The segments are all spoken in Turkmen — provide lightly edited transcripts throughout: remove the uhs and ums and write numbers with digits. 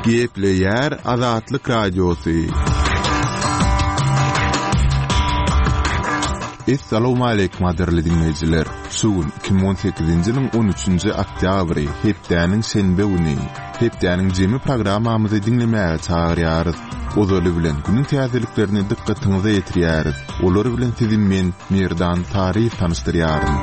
Gepleýär Azatlyk Radiosy. Essalawmaleýkim gadyrly diňleýjiler! Şu gün 2018-nji ýylyň 13-nji oktýabry, hepdäniň şenbe güni. Hepdäniň jemi programmamyzy diňlemäge çagyrýarys. Ozaly bilen, günüň täzeliklerini dykgatyňyza ýetirýäris. Olar bilen sizi men, Merdan Saryýew tanyşdyrýaryn.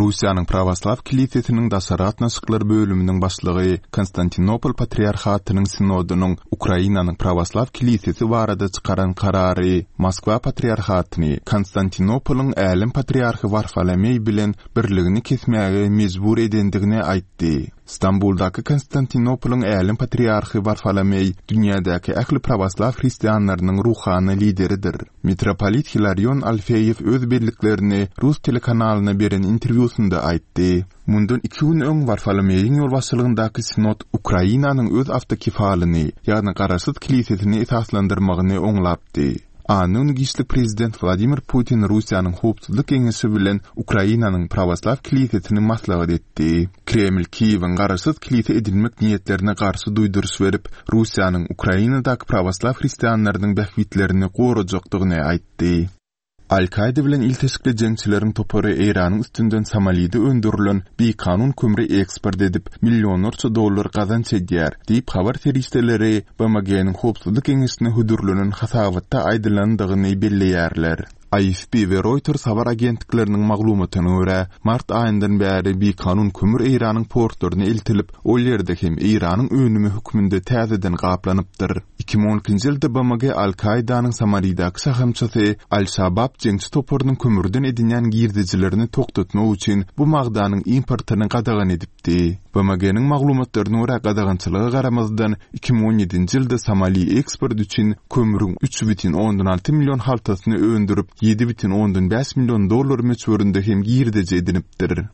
Russiýanyň Prawoslaw kilisesiniň daşary gatnaşyklar bölüminiň başlygy Konstantinopol patriarhatynyň sinodynyň Ukrainanyň Prawoslaw kilisesi barada çykaran karary Moskwa patriarhatyny Konstantinopolyň Älem patriarhy Warfolomeý bilen birligini kesmäge mejbur edendigini aýtdy. Stambuldaky Konstantinopolyň Älem patriarhy Warfolomeý dünýädäki ähli prawoslaw hristianlarynyň ruhany lideridir. Mitropolit Hilarion Alfeýew öz belliklerini rus telekanalyna beren interwýusynda aýtdy. Mundan iki gün öň Warfolomeýiň ýolbaşçylygyndaky sinod Ukrainanyň öz awtokefalyny, ýagny garaşsyz kilisesini esaslandyrmagyny oňlapdy. Anna güni giçlik prezident Wladimir Putin Russiýanyň Howpsuzlyk geňeşi bilen Ukrainanyň Prawoslaw kilisesini maslahat etdi. Kreml Kiýewiň garaşsyz kilise edinmek niýetlerine garşy duýduryş berip, Russiýanyň Ukrainadaky prawoslaw hristianlarynyň bähbitlerini gorajakdygyny aýtdy. Al-Kaýda bilen ilteşikli jeňçileriň topary Eýranyň üstünden Somalide öndürilen bikanun kömri eksport edip, millionlarça dollar gazanç edýär, diýip, habar serişdeleri BMG-niň Howpsuzlyk Geňeşine hödürlenen hasabatda aýdylandygyny belleýärler. AFP we Reuters habar agentlikleriniň maglumatyna görä, mart aýyndan bäri bikanun kömür Eýranyň portlaryna eltilip, ol ýerde hem Eýranyň önümi hökmünde täzeden gaplanypdyr. 2012-nji ýylda BMG Al-Kaidanyň Somalidäki şahamçasy Al-Şabab jeňçi toparynyň kömürden edinýän girdejilerini togtatmak üçin bu magdanyň importyny gadagan edipdi. BMG-niň maglumatlaryna görä, gadagançylyga garamazdan, 2017-nji ýylda Somali eksport üçin kömrüň 3,6 million haltasyny öndürip, 7,5 million dollar möçberinde hem girdeji edinipdir.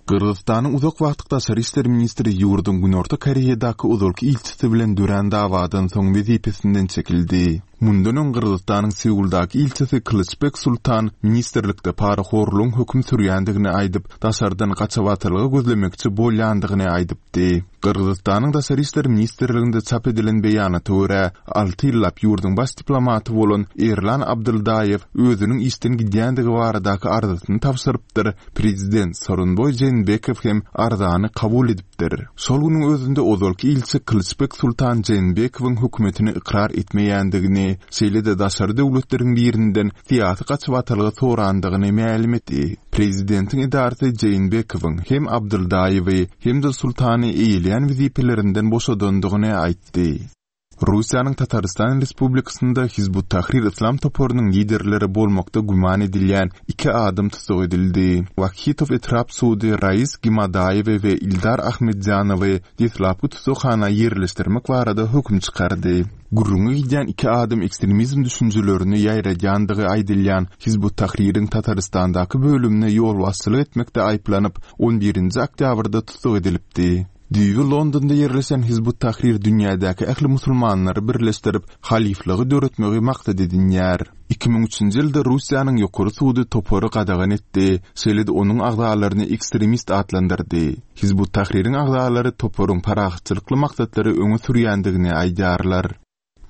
Gyrgyzystanyň uzak wagtlyk daşary işler ministri ýurduň Günorta Koreýadaky ozalky ilçisi bilen dörän dawadan soň wezipesinden çekildi. Mundan öň Gyrgyzystanyň Seuldaky ilçisi Kylyçbek Sultan ministrlikde parahorlugyň höküm sürýändigini aýdyp, daşardan gaçybatalga gözlemekçi bolýandygyny aýdypdy. Gyrgyzystanyň Daşary işler ministrliginde çap edilen beýanata görä, alty ýyllap ýurduň baş diplomaty bolan Erlan Abdyldaýew özüniň işden gidýändigi baradaky arzasyny tabşyrypdyr, prezident Sooronboý Jeenbekow hem arzany kabul edipdir. Şol günüň özünde ozalky ilçi Kylyçbek Sultan Jeenbekowyň hökümetini ykrar etmeýändigini, şeýle-de daşary döwletleriň birinden syýasy gaçybatalga sorandygyny mälim etdi. Prezidentiň edarasy Jeenbekowyň hem Abdyldaýewi, hem-de Sultany eýeleýän wezipelerinden boşadandygyny aýtdy. Russiýanyň Tatarystan Respublikasynda Hizb ut-Tahrir yslam toparynyň liderleri bolmakda güman edilýän iki adam tussag edildi. Wahitow etrap sudy Rais Gimadaýewi we Ildar Ahmetzýanowy deslapky tussaghana ýerleşdirmek barada höküm çykardy. Gürrüňi gidýän iki adam ekstremizm düşünjelerini ýaýradýandygy aýdylýan Hizb ut-Tahririň Tatarystandaky bölümine ýolbaşçylyk etmekde aýyplanyp, on birinji oktýabrda tussag edilipdi. Düýbi Londonda ýerleşen Hizb ut-Tahrir dünýädäki ähli musulmanlary birleşdirip, halyflygy döretmegi maksat edinýär. 2003-nji ýylda Russiýanyň Ýokary sudy topary gadagan etdi, şeýle-de onuň agzalaryny ekstremist atlandyrdy. Hizb ut-Tahririň agzalary toparyň parahatçylykly maksatlary öňe sürýändigini aýdýarlar.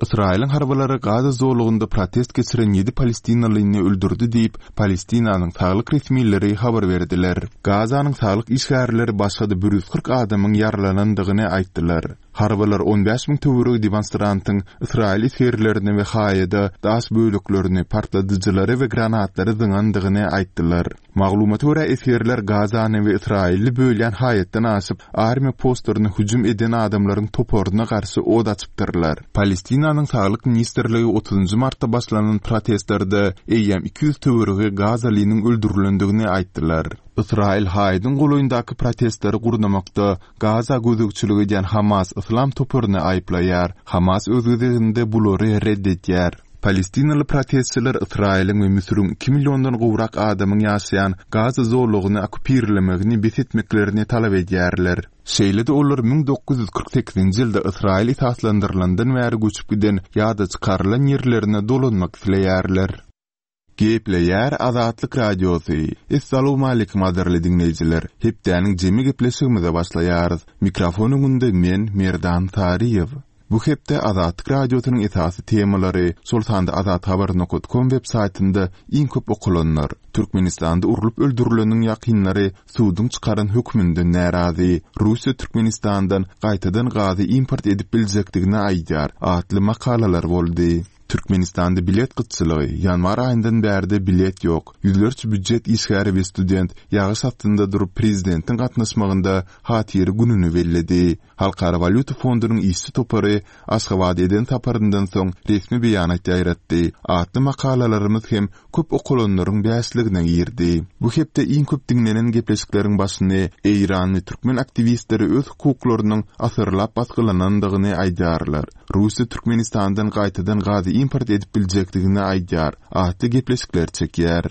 Ysraýylyň harbylary Gaza zolagynda protest geçiren ýedi palestinalyny öldürdi diýip, Palestinanyň saglyk resmileri habar berdiler. Gazanyň saglyk işgärleri başga-da 140 adamyň ýaralanandygyny aýtdylar. Harbylar 15 müň töweregi demonstrantyň ysraýyl esgerlerine we haýada daş böleklerini, partladyjylary we granatlary zyňandygyny aýtdylar. Maglumata görä, esgerler Gazany we Ysraýyly bölýän haýatdan aşyp, armiýa postlaryna hüjüm eden adamlaryň toparyna garşy ot açypdyrlar. Palestinanyň Saglyk ministrligi otuzynjy martda başlanan protestlerde eýýäm 200 töweregi gazalynyň öldürilendigini aýtdylar. Ysraýyl haýadyň golaýyndaky protestleri gurnamakda Gaza gözegçilik edýän Hamas yslam toparyny aýyplaýar. Hamas öz gezeginde bulary red edýär. Palestinaly protestçiler Ysraýylyň we Müsüriň iki milliondan gowrak adamyň ýaşaýan Gaza zolagyny okkupirlemegini bes etmeklerini talap edýärler. Şeýle-de olar 1948-nji ýylda Ysraýyl esaslandyrylandan bäri göçüp giden ýa-da çykarylan ýerlerine dolanmak isleýärler. Gepleýär Azatlyk Radiosy. Essalawmaleýkim gadyrly diňleýjiler! Hepdäniň jemi gepleşigimize başlaýarys. Mikrofon öňünde men, Merdan Saryýew. Bu hepde Azatlyk Radiosynyň esasy temalary, şol sanda azathabar nokat kom web saýtynda iň köp okalanlar, Türkmenistanda urlup öldürileniň ýakynlary suduň çykaran höküminden närazy, Russiýa Türkmenistandan gaýtadan gazy import edip biljekdigini aýdýar atly makalalar boldy. Türkmenistanda bilet gytçylygy, ýanwar aýyndan bärde bilet ýok, ýüzlerçe býujet işgäri we student ýagyş astynda durup prezidentiň gatnaşmagynda Hatyra gününi belledi. Halkara walýuta fondunyň işçi topary Aşgabada eden saparyndan soň resmi beýanat ýaýratdy. Atly makalalarymyz hem köp okalanlaryň bäşligine girdi. Bu hepde iň köp diňlenen gepleşikleriň başyny eýranly türkmen aktiwistleri öz hukuklarynyň asyrlap basgylanandygyny aýdýarlar. Russiýa Türkmenistandan gaýtadan gazy import edip biljekdigini aýdýar atly gepleşikler çekýär.